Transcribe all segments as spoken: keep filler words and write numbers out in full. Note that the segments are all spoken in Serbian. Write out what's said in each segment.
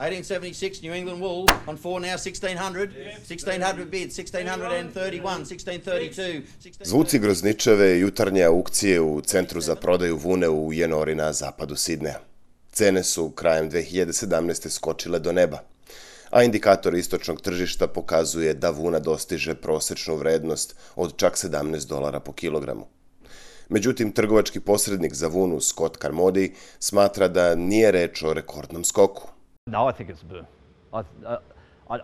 eighteen seventy-six New England wool on four now sixteen hundred, sixteen hundred bid, sixteen thirty-one, sixteen thirty-two. Zvuci grozničave jutarnje aukcije u centru za prodaju vune u Jenori na zapadu Sidneja. Cene su krajem dve hiljade sedamnaeste. skočile do neba, a indikator istočnog tržišta pokazuje da vuna dostiže prosečnu vrednost od čak sedamnaest dolara po kilogramu. Međutim, trgovački posrednik za vunu Scott Carmody smatra da nije reč o rekordnom skoku. No, I think it's a boom. I, uh,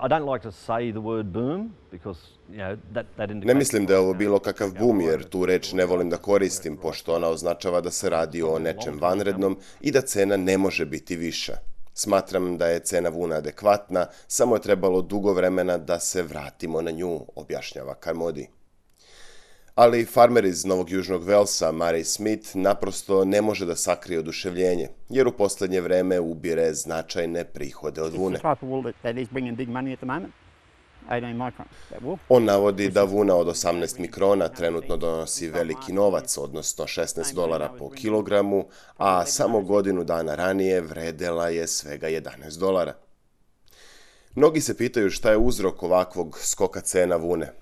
I don't like to say the word boom because, you know, that, that indicates... Ne mislim da je ovo bilo kakav bum, jer tu reč ne volim da koristim, pošto ona označava da se radi o nečem vanrednom i da cena ne može biti viša. Smatram da je cena vuna adekvatna, samo je trebalo dugo vremena da se vratimo na nju, objašnjava Carmody. Ali farmer iz Novog Južnog Velsa, Murray Smith, naprosto ne može da sakrije oduševljenje, jer u poslednje vreme ubire značajne prihode od vune. On navodi da vuna od osamnaest mikrona trenutno donosi veliki novac, odnosno šesnaest dolara po kilogramu, a samo godinu dana ranije vredela je svega jedanaest dolara. Mnogi se pitaju šta je uzrok ovakvog skoka cena vune,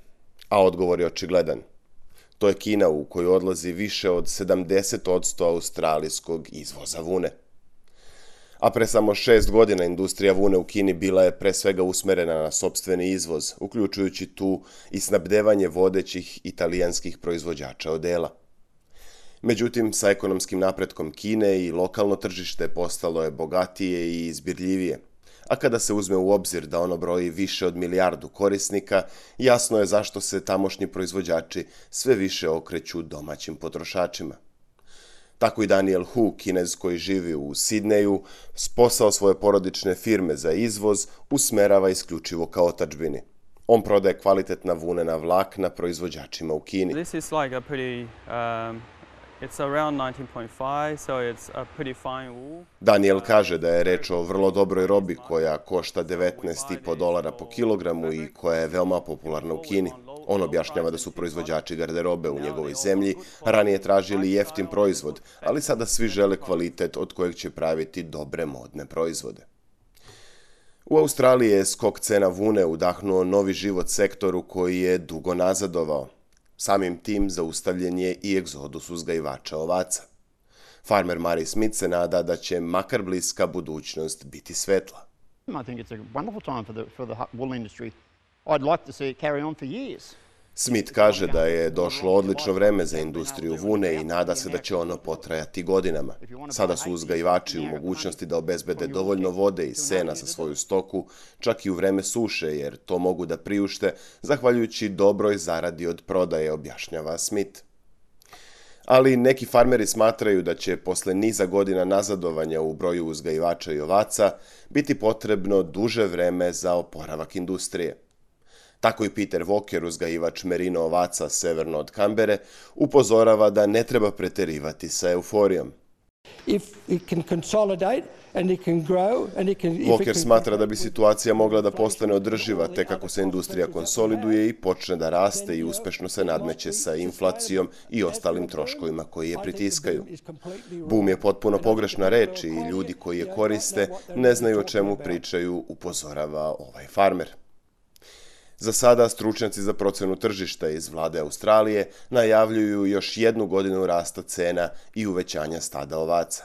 a odgovor je očigledan. To je Kina, u koju odlazi više od sedamdeset posto australijskog izvoza vune. A pre samo šest godina industrija vune u Kini bila je pre svega usmerena na sopstveni izvoz, uključujući tu i snabdevanje vodećih italijanskih proizvođača odela. Međutim, sa ekonomskim napretkom Kine i lokalno tržište postalo je bogatije i izbirljivije. A kada se uzme u obzir da ono broji više od milijardu korisnika, jasno je zašto se tamošnji proizvođači sve više okreću domaćim potrošačima. Tako i Daniel Hu, Kinez koji živi u Sidneju, posao svoje porodične firme za izvoz usmerava isključivo ka otadžbini. On prodaje kvalitetna vunena vlakna proizvođačima u Kini. This is like a pretty, um... It's around nineteen point five, so it's a pretty fine wool. Daniel kaže da je reč o vrlo dobroj robi koja košta devetnaest i po dolara po kilogramu i koja je veoma popularna u Kini. On objašnjava da su proizvođači garderobe u njegovoj zemlji ranije tražili jeftin proizvod, ali sada svi žele kvalitet od kojeg će praviti dobre modne proizvode. U Australiji je skok cena vune udahnuo novi život sektoru koji je dugo nazadovao. Samim tim zaustavljen je i egzodus uzgajivača ovaca. Farmer Murray Smith se nada da će makar bliska budućnost biti svetla. Smith kaže da je došlo odlično vreme za industriju vune i nada se da će ono potrajati godinama. Sada su uzgajivači u mogućnosti da obezbede dovoljno vode i sena za svoju stoku, čak i u vreme suše, jer to mogu da priušte, zahvaljujući dobroj zaradi od prodaje, objašnjava Smith. Ali neki farmeri smatraju da će posle niza godina nazadovanja u broju uzgajivača i ovaca biti potrebno duže vreme za oporavak industrije. Tako i Peter Walker, uzgajivač merino ovaca severno od Kambere, upozorava da ne treba preterivati sa euforijom. Walker smatra da bi situacija mogla da postane održiva tek ako se industrija konsoliduje i počne da raste i uspešno se nadmeće sa inflacijom i ostalim troškovima koji je pritiskaju. Boom je potpuno pogrešna reč i ljudi koji je koriste ne znaju o čemu pričaju, upozorava ovaj farmer. Za sada stručnjaci za procenu tržišta iz vlade Australije najavljuju još jednu godinu rasta cena i uvećanja stada ovaca.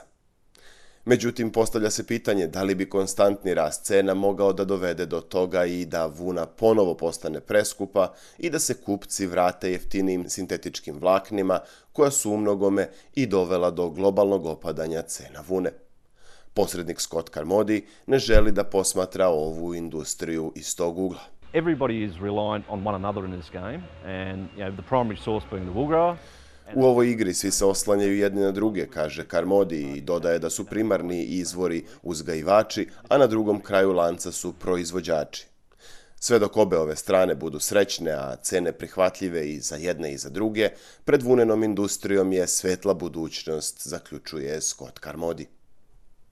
Međutim, postavlja se pitanje da li bi konstantni rast cena mogao da dovede do toga i da vuna ponovo postane preskupa i da se kupci vrate jeftinijim sintetičkim vlaknima koja su u mnogome i dovela do globalnog opadanja cena vune. Posrednik Scott Carmody ne želi da posmatra ovu industriju iz tog ugla. Everybody is reliant on one another in this game, and you know, the primary source being the wool grower. U ovoj igri svi se oslanjaju jedni na druge, kaže Carmody i dodaje da su primarni izvori uzgajivači, a na drugom kraju lanca su proizvođači. Sve dok obe ove strane budu srećne, a cene prihvatljive i za jedne i za druge, pred vunenom industrijom je svetla budućnost, zaključuje Scott Carmody.